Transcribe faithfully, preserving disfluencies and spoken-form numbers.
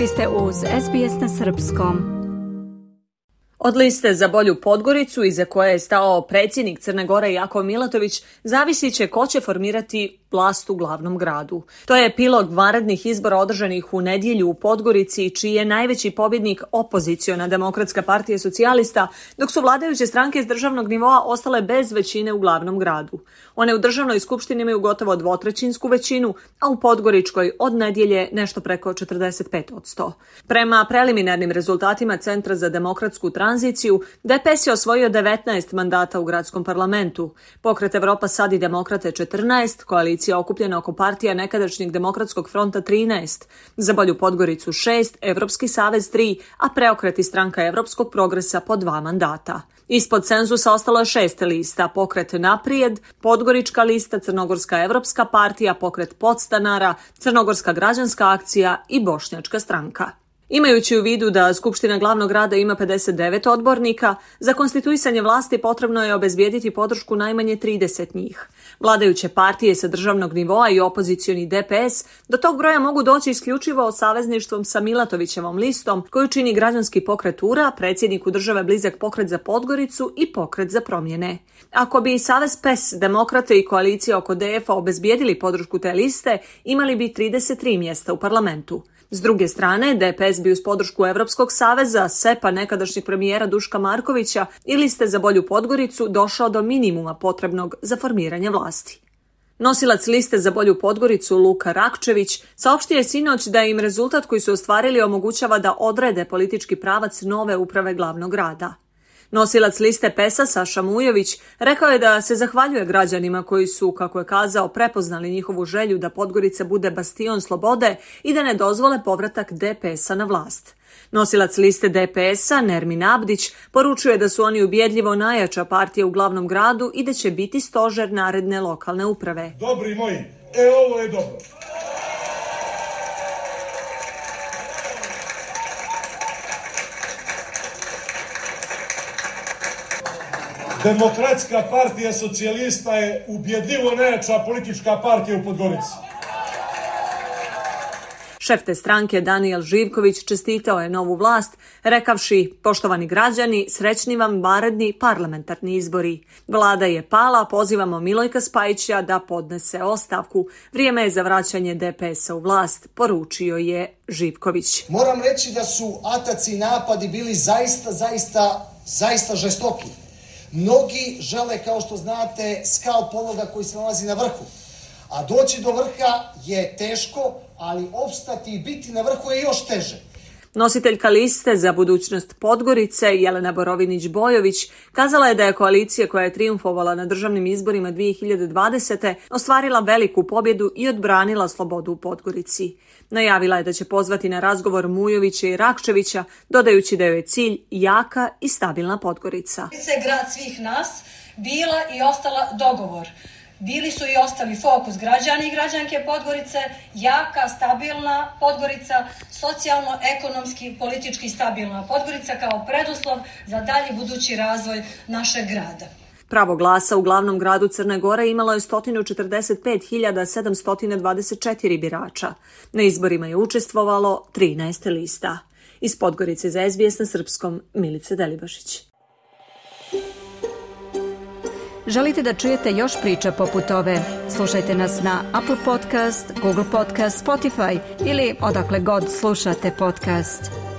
Vi ste uz es be es na srpskom. Od liste za bolju Podgoricu, iza koje je stao predsjednik Crne Gore Jakov Milatović, zavisit će ko će formirati vlast u glavnom gradu. To je epilog vanrednih izbora održanih u nedjelju u Podgorici, čiji je najveći pobjednik opoziciona Demokratska partija socijalista, dok su vladajuće stranke iz državnog nivoa ostale bez većine u glavnom gradu. One u državnoj skupštini imaju gotovo dvotrećinsku većinu, a u Podgoričkoj od nedjelje nešto preko četrdeset pet posto. Prema preliminarnim rezultatima Centra za demokratsku tranziciju, de pe es je osvojio devetnaest mandata u gradskom parlamentu. Pokret Evropa sad i demokrate četrnaest, koalicija okupljena oko partija nekadašnjeg Demokratskog fronta trinaest, za bolju Podgoricu šest, Evropski savez tri, a Preokret i stranka Evropskog progresa po dva mandata. Ispod cenzusa ostalo je šest lista: Pokret Naprijed, Podgorička lista, Crnogorska Evropska partija, Pokret podstanara, Crnogorska građanska akcija i Bošnjačka stranka. Imajući u vidu da Skupština glavnog grada ima pedeset devet odbornika, za konstituisanje vlasti potrebno je obezbijediti podršku najmanje trideset njih. Vladajuće partije sa državnog nivoa i opozicioni de pe es do tog broja mogu doći isključivo savezništvom sa Milatovićevom listom, koju čini Građanski pokret U-ra, predsjedniku države blizak Pokret za Podgoricu i Pokret za promjene. Ako bi Savez pe e es, Demokrate i koalicija oko de ef a obezbijedili podršku te liste, imali bi trideset tri mjesta u parlamentu. S druge strane, de pe es bi uz podršku Evropskog saveza, se pa nekadašnjeg premijera Duška Markovića i liste za bolju Podgoricu došao do minimuma potrebnog za formiranje vlasti. Nosilac liste za bolju Podgoricu Luka Rakčević saopštio je sinoć da im rezultat koji su ostvarili omogućava da odrede politički pravac nove uprave glavnog grada. Nosilac liste pe es a Saša Mujović rekao je da se zahvaljuje građanima koji su, kako je kazao, prepoznali njihovu želju da Podgorica bude bastion slobode i da ne dozvole povratak de pe es a na vlast. Nosilac liste de pe es a Nermin Abdić poručuje da su oni ubjedljivo najjača partija u glavnom gradu i da će biti stožer naredne lokalne uprave. Dobri moji, e ovo je dobro. Demokratska partija socijalista je ubjedljivo najjača politička partija u Podgorici. Šef te stranke Danijel Živković čestitao je novu vlast, rekavši: poštovani građani, srećni vam vanredni parlamentarni izbori. Vlada je pala, pozivamo Milojka Spajića da podnese ostavku. Vrijeme je za vraćanje de pe es a u vlast, poručio je Živković. Moram reći da su ataci i napadi bili zaista, zaista, zaista žestoki. Mnogi žele, kao što znate, skalp onoga koji se nalazi na vrhu. A doći do vrha je teško, ali opstati i biti na vrhu je još teže. Nositeljka liste za budućnost Podgorice, Jelena Borovinić-Bojović, kazala je da je koalicija koja je trijumfovala na državnim izborima dvije hiljade dvadesete. ostvarila veliku pobjedu i odbranila slobodu u Podgorici. Najavila je da će pozvati na razgovor Mujovića i Rakčevića, dodajući da joj je cilj jaka i stabilna Podgorica. Podgorica je grad svih nas, bila i ostala dogovor. Bili su i ostali fokus građani i građanke Podgorice, jaka, stabilna Podgorica, socijalno, ekonomski, politički stabilna Podgorica kao preduslov za dalji budući razvoj našeg grada. Pravo glasa u glavnom gradu Crne Gore imalo je sto četrdeset pet hiljada sedamsto dvadeset četiri birača. Na izborima je učestvovalo trinaest lista. Iz Podgorice za es be es na srpskom, Milica Delibašić. Želite da čujete još priča poput ove? Slušajte nas na Apple Podcast, Google Podcast, Spotify ili odakle god slušate podcast.